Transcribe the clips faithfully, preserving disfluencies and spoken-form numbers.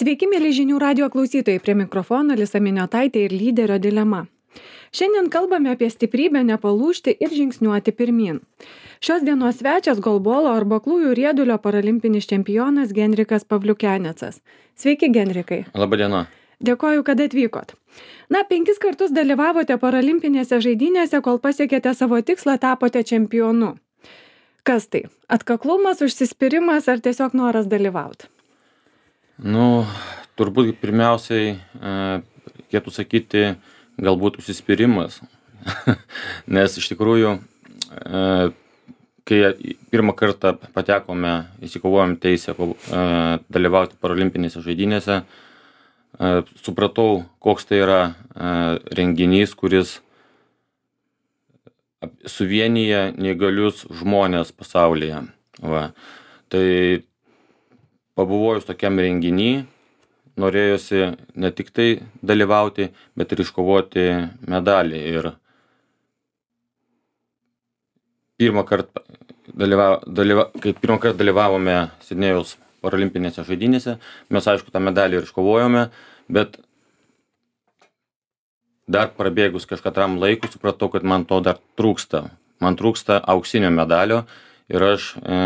Sveiki, mėly žinių radio klausytojai, prie mikrofono Lisa Miniotaitė ir lyderio dilema. Šiandien kalbame apie stiprybę nepalūžti ir žingsniuoti pirmyn. Šios dienos svečias golbolo arba aklųjų riedulio paralimpinis čempionas Genrikas Pavliukenecas. Sveiki, Genrikai. Labą dieną. Dėkoju, kad atvykot. Na, penkis kartus dalyvavote paralimpinėse žaidynėse, kol pasiekėte savo tikslą, tapote čempionu. Kas tai? Atkaklumas, užsispyrimas ar tiesiog noras dalyvauti? Nu, turbūt pirmiausiai e, reikėtų sakyti galbūt užsispyrimas, nes iš tikrųjų, e, kai pirmą kartą patekome, įsikovojom teisę e, dalyvauti paralimpinėse žaidynėse, e, supratau, koks tai yra e, renginys, kuris suvienyje neįgalius žmonės pasaulyje. Va. Tai pabuvojus tokiam renginy, norėjosi ne tik tai dalyvauti, bet ir iškovoti medalį. Ir pirmą kartą, dalyva, dalyva, kai pirmą kartą dalyvavome Sidnėjaus paralimpinėse žaidynėse, mes aišku tą medalį ir iškovojome, bet dar prabėgus kažkatram laikui supratau, kad man to dar trūksta. Man trūksta auksinio medalio ir aš e,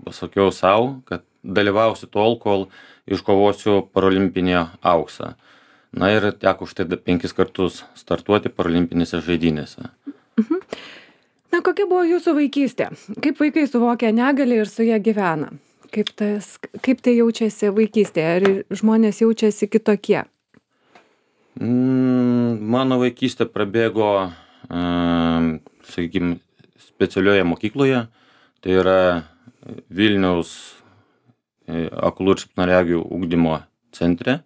pasakiau savo, kad dalyvausiu tol, kol iškovosiu paralimpinį auksą. Na ir teko štai penkis kartus startuoti paralimpinėse žaidynėse. Mhm. Na, kokia buvo jūsų vaikystė? Kaip vaikai suvokia negalį ir su ją gyvena? Kaip, tas, kaip tai jaučiasi vaikystėje? Ar žmonės jaučiasi kitokie? Mm, mano vaikystė prabėgo, uh, sakykime, specialioje mokykloje. Tai yra Vilniaus aklų ir silpnaregių ugdymo centre.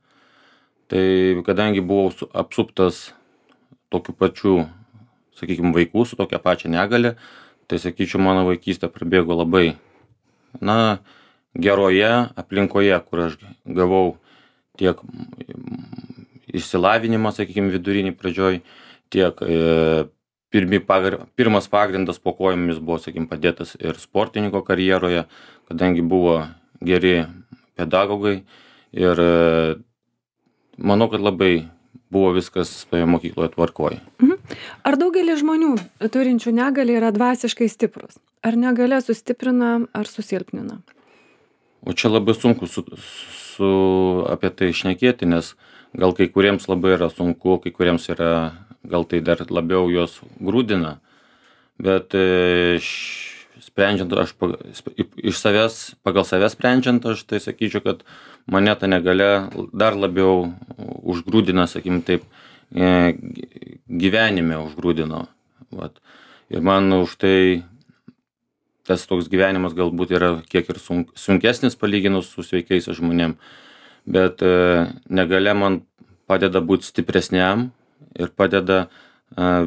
Tai kadangi buvau apsuptas tokių pačių, sakykime, vaikų su tokia pačia negalė, tai sakyčiau, mano vaikystė prabėgo labai, na, geroje aplinkoje, kur aš gavau tiek išsilavinimą, sakykime, vidurinį pradžioj, tiek e, pirmi pagr... pirmas pagrindas po kojomis buvo, sakykime, padėtas ir sportininko karjeroje, kadangi buvo geri pedagogai ir manau, kad labai buvo viskas toje mokykloje tvarkoje. Mhm. Ar daugelis žmonių turinčių negalį yra dvasiškai stiprus? Ar negalia sustiprina ar susilpnina? O čia labai sunku su, su, apie tai šnekėti, nes gal kai kuriems labai yra sunku, kai kuriems yra, gal tai dar labiau juos grūdina, bet š... sprendžiant, aš iš savęs, pagal savęs sprendžiant, aš tai sakyčiau, kad mane ta negalia dar labiau užgrūdina, sakykim taip, gyvenime užgrūdino. Vat. Ir man už tai tas toks gyvenimas galbūt yra kiek ir sunk, sunkesnis palyginus su sveikais žmonėm, bet negalia man padeda būti stipresniam ir padeda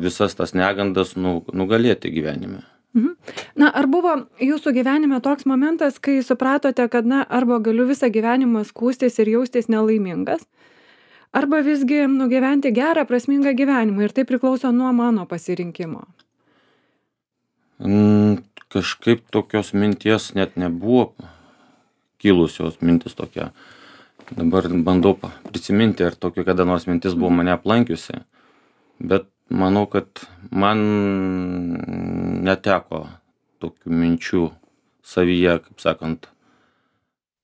visas tas negandas nu, nugalėti gyvenime. Mhm. Na, ar buvo jūsų gyvenime toks momentas, kai supratote, kad, na, arba galiu visą gyvenimą skūstis ir jaustis nelaimingas, arba visgi nugyventi gerą, prasmingą gyvenimą ir tai priklauso nuo mano pasirinkimo? Mm, kažkaip tokios minties net nebuvo kilusios mintis tokia. Dabar bandau prisiminti, ar tokia kada nors mintis buvo mane aplankiusi, bet manau, kad man neteko tokių minčių savyje, kaip sakant,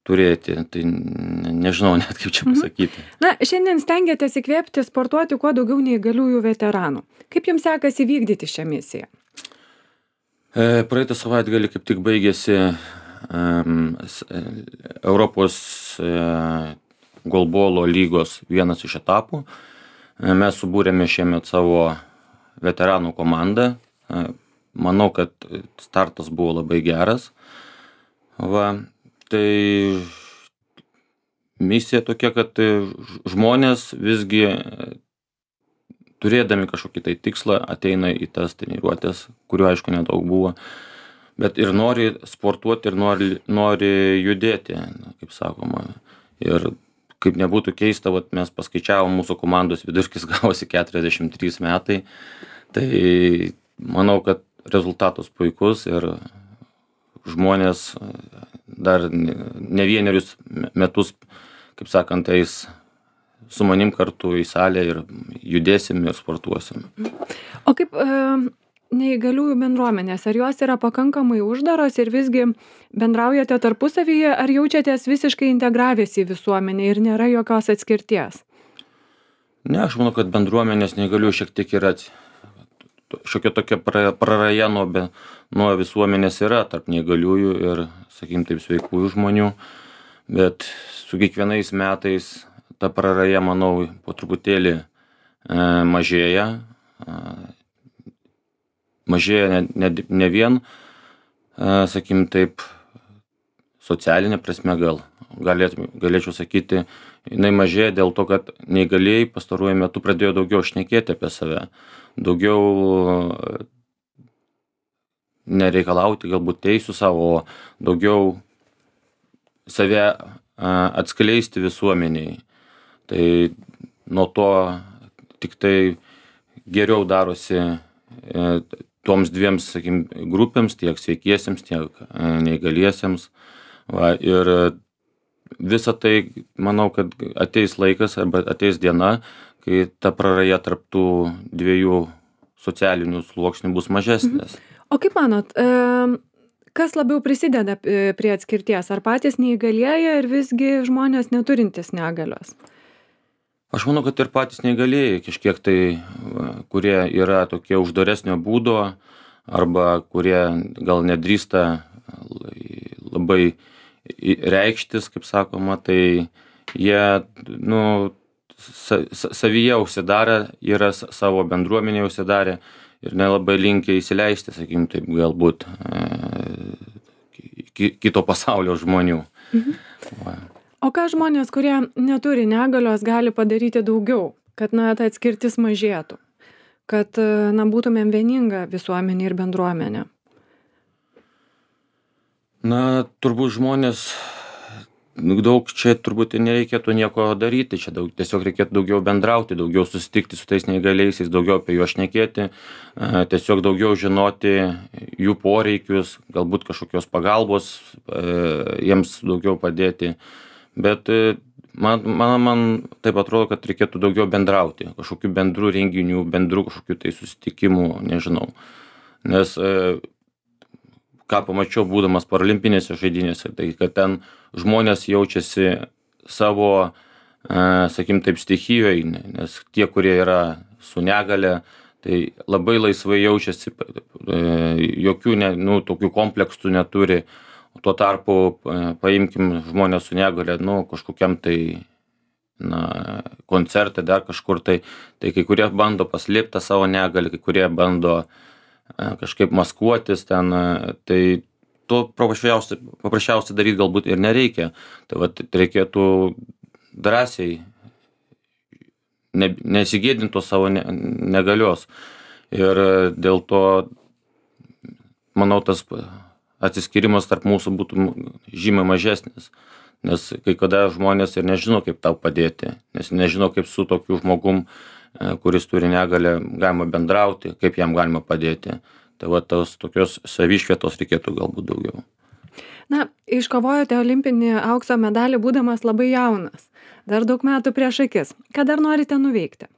turėti. Tai nežinau net kaip čia pasakyti. Na, šiandien stengiatės įkvėpti sportuoti kuo daugiau neįgaliųjų veteranų. Kaip jums sekasi vykdyti šią misiją? E, praeitą savaitgalį kaip tik baigėsi um, Europos e, golbolo lygos vienas iš etapų. Mes subūrėme šiemet savo veteranų komandą. Manau, kad startas buvo labai geras. Va, tai misija tokia, kad žmonės visgi turėdami kažkokį tai tikslą ateina į tas treniruotės, kurių aišku nedaug buvo, bet ir nori sportuoti ir nori, nori judėti, kaip sakoma. Ir kaip nebūtų keista, vat mes paskaičiavom, mūsų komandos vidurkis gavosi keturiasdešimt trys metai, tai manau, kad rezultatas puikus ir žmonės dar ne vienerius metus kaip sakant, eis su manim kartu į salę ir judėsim ir sportuosim. O kaip e, neįgaliųjų bendruomenės, ar jos yra pakankamai uždaros ir visgi bendraujate tarpusavyje, ar jaučiatės visiškai integravęs į visuomenę ir nėra jokios atskirties? Ne, aš manau, kad bendruomenės neįgaliųjų šiek tiek yra, šiokia tokia pra- praraja nuo, be- nuo visuomenės yra tarp neįgaliųjų ir, sakykim, taip sveikųjų žmonių, bet su kiekvienais metais ta praraja, manau, po truputėlį e, mažėja. E, mažėja ne, ne, ne vien, e, sakykim, taip, socialinė prasme gal. Galėtum, galėčiau sakyti, jinai mažėja dėl to, kad neįgalieji pastaruoju metu pradėjo daugiau šnekėti apie save, daugiau nereikalauti galbūt teisų savo, daugiau save a, atskleisti visuomeniai. Tai nuo to tik tai geriau darosi e, toms dviems, sakykim, grupėms, tiek sveikiesiems, tiek e, neįgaliesiems. Va, ir visa tai, manau, kad ateis laikas arba ateis diena, kai ta praraja tarp tų dviejų socialinių sluoksnių bus mažesnės. O kaip manot, e, kas labiau prisideda e, prie atskirties? Ar patys neįgalieji ir visgi žmonės neturintys negalios? Aš manau, kad ir patys neįgalieji kažkiek tai, va, kurie yra tokie uždaresnio būdo arba kurie gal nedrįsta labai reikštis, kaip sakoma, tai jie, nu, sa, savyje užsidarę, yra savo bendruomenėje užsidarę ir nelabai linkę įsileisti, sakykim, taip galbūt e, kito pasaulio žmonių. Mhm. Va. O ką žmonės, kurie neturi negalios, gali padaryti daugiau, kad, na, ta atskirtis mažėtų, kad, na, būtumėm vieninga visuomenė ir bendruomenė? Na, turbūt žmonės, daug čia turbūt nereikėtų nieko daryti, čia daug, tiesiog reikėtų daugiau bendrauti, daugiau susitikti su tais neįgaliaisiais, daugiau apie juos šnekėti, tiesiog daugiau žinoti jų poreikius, galbūt kažkokios pagalbos, jiems daugiau padėti. Bet man, man, man taip atrodo, kad reikėtų daugiau bendrauti, kažkokių bendrų renginių, bendrų kažkokių tai susitikimų, nežinau. Nes ką pamačiau būdamas paralimpinėse žaidynėse, tai kad ten žmonės jaučiasi savo, sakykim, taip stichijoje, nes tie, kurie yra su negale, tai labai laisvai jaučiasi, jokių ne, nu, tokių kompleksų neturi. Tuo tarpu paimkim žmonės su negale, nu, kažkokiam tai, na, koncerte, dar kažkur tai, tai kai kurie bando paslėpti savo negalę, kai kurie bando kažkaip maskuotis ten, tai to paprasčiausiai, paprasčiausiai daryti galbūt ir nereikia. Tai vat reikėtų drąsiai, ne, nesigėdinti savo ne, negalios. Ir dėl to, manau, tas atsiskyrimas tarp mūsų būtų žymiai mažesnis, nes kai kada žmonės ir nežino, kaip tau padėti, nes nežino, kaip su tokiu žmogum, kuris turi negalę, galima bendrauti, kaip jam galima padėti. Tai va, tos tokios savišvietos reikėtų galbūt daugiau. Na, iškovojote olimpinį aukso medalį būdamas labai jaunas, dar daug metų prieš akis. Ką dar norite nuveikti?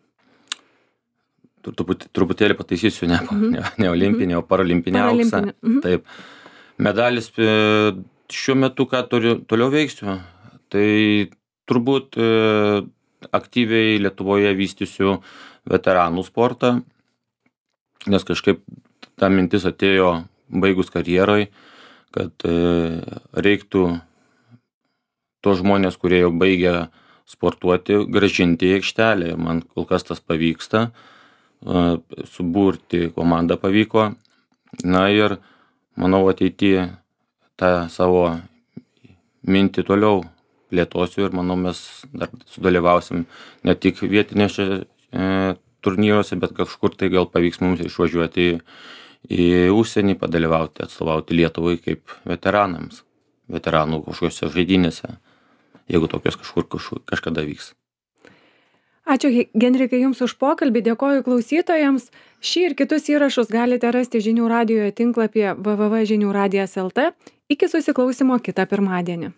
Truputį, truputėlį pataisysiu, ne, mm-hmm. ne, ne olimpinį, o paralimpinį auksą. Mm-hmm. Taip. Medalis šiuo metu, ką turiu, toliau veiksiu, tai turbūt e, aktyviai Lietuvoje vystysiu veteranų sportą, nes kažkaip ta mintis atėjo baigus karjeroj, kad e, reiktų tos žmonės, kurie jau baigia sportuoti, grąžinti į aikštelę. Man kol kas tas pavyksta, e, suburti komandą pavyko. Na ir manau, ateityje tą savo mintį toliau plėtosiu ir manau, mes dar sudalyvausim ne tik vietinėse e, turnyruose, bet kažkur tai gal pavyks mums išvažiuoti į, į užsienį, padalyvauti, atstovauti Lietuvai kaip veteranams, veteranų kažkokiose žaidynėse, jeigu tokios kažkur, kažkur kažkada vyks. Ačiū, Genrikai, Jums už pokalbį, dėkoju klausytojams. Šį ir kitus įrašus galite rasti Žinių radijo tinklapyje w w w taškas žinių radijas taškas l t. Iki susiklausimo kitą pirmadienį.